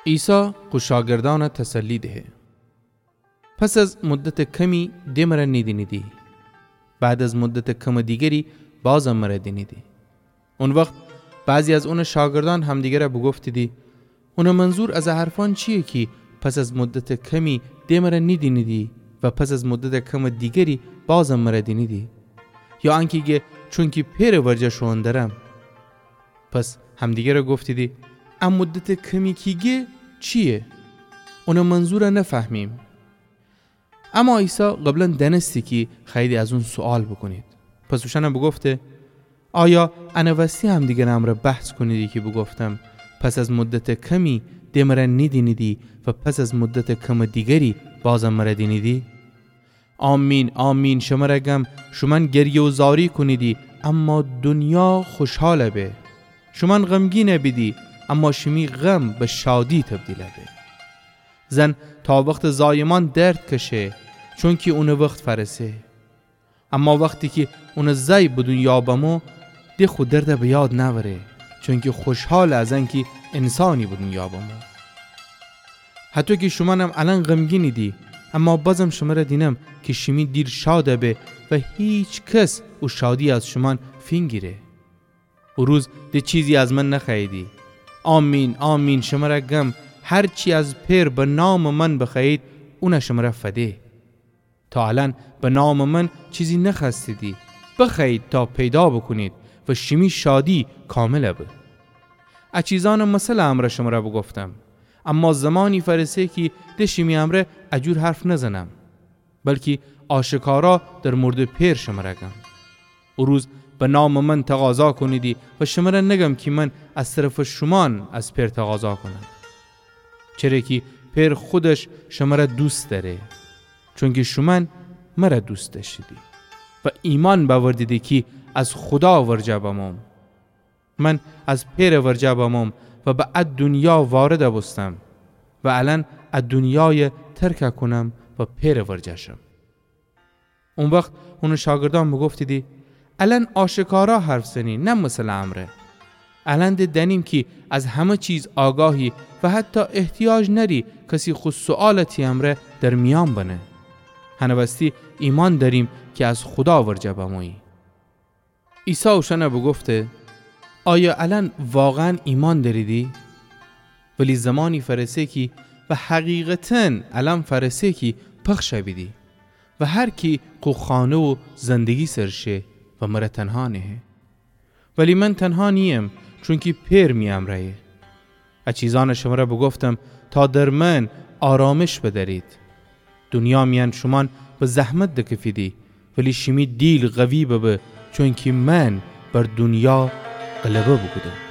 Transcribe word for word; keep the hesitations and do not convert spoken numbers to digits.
عیسی خو شاگردأنَ تسلی دهه. پس از مدتٚ کمی د مرَ نیدینیدی. بعد از مدتٚ کمٚ دیگری بازم مرَ دینیدی. او وخت بعضی از اونٚ شاگردأن همدیگرَ بوگفتیدی: اونٚ منظور از ا حرفأن چییه کی پس از مدتٚ کمی د مرَ نیدینیدی و پس از مدتٚ کمٚ دیگری بازم مرَ دینیدی؟ یا انکی گه چونکی پئرٚ ورجه شوئون درم؟ پس همدیگرَ گفتیدی: ا مدتٚ کمی کی گه چییه؟ اونٚ منظورَ نفهمیم. اما عیسی قبلا دأنستی کی خوأییدی از اون سوئال بوکونید. پس اوشأنَ بوگفته: آیا انٚ وستی همدیگرٚ امرأ بحث کونیدی کی بوگفتم: پس از مدتٚ کمی د مرَ نیدینیدی و پس از مدتٚ کمٚ دیگری بازم مرَ دینیدی؟ آمین، آمین، شمرَ گم، شومأن گریه و زاری کونیدی، اما دونیا خوشحال به. شومأن غمگین بیدی، اما شیمی غم به شادی تبدیل به. زن تا وختٚ زایمأن درد کشه، چونکی اونٚ وخت فأرسه. اما وختی کی اونٚ زای به دونیا بمو، د خو دردَ به یاد نأوره، چونکی خوشحاله از انکی انسانی به دونیا بمو. هطو کی شومأنم الأن غمگینیدی، اما بازم شمرَ دینم کی شیمی دیل شاد به و هیکس او شادی از شومأن فینگیره. او روز د چیزی از من نخوأییدی. آمین، آمین، شمرَ گم، هر چی از پئر به نامٚ من بخوأیید، اونَ شمرَ فده. تا الأن به نامٚ من چیزی نخوأستیدی، بخوأیید تا پیدا بوکونید و شیمی شادی کامل به. ا چیزأنٚ مثلٚ امرأ شمرَ بوگفتم، اما زمانی فأرسه کی د شیمی امرأ ا جور حرف نزنم، بلکی آشکارا در موردٚ پئر شمرَ گم. او روز به نامٚ من تقاضا کونیدی و شمرَ نگم کی من از طرفٚ شومأن از پئر تقاضا کونم، چره کی پئر خودش شمرَ دوست دأره، چونکی شومأن مرَ دوست دأشتیدی و ایمأن بأوردیدی کی از خودا ورجه بموم. من از پئرٚ ورجه بموم و به ا دونیا وارد بوستم و الأن ا دونیای ترک کونم و پئرٚ ورجه شم. او وخت اونٚ شاگردأن بوگفتیدی: الأن آشکارا حرف زنی، نه مثلٚ امرأ. الأن د دأنیم کی از همه چیز آگاهی و حتی احتیاج نأری کسی خو سوئالَ تی امرأ در میأن بنه. هنٚ وستی ایمأن دأریم کی از خودا ورجه بمویی. عیسی اوشأنَ بوگفته: آیا الأن واقعا ایمأن دأریدی؟ ولی زمانی فأرسه کی، و حقیقتا الأن فأرسه کی پخش بیدی و هر کی خو خانه و زندگی سر شه و مرَ تنها نهه. ولی من تنها نییم، چونکی پئر می امرأیه. ا چیزأنَ شمرَ بوگفتم تا در من آرامش بدأرید. دونیا میأن شومأن به زحمت دکفیدی، ولی شیمی دیل قوی ببه، چونکی من بر دونیا غلبه بوکودم.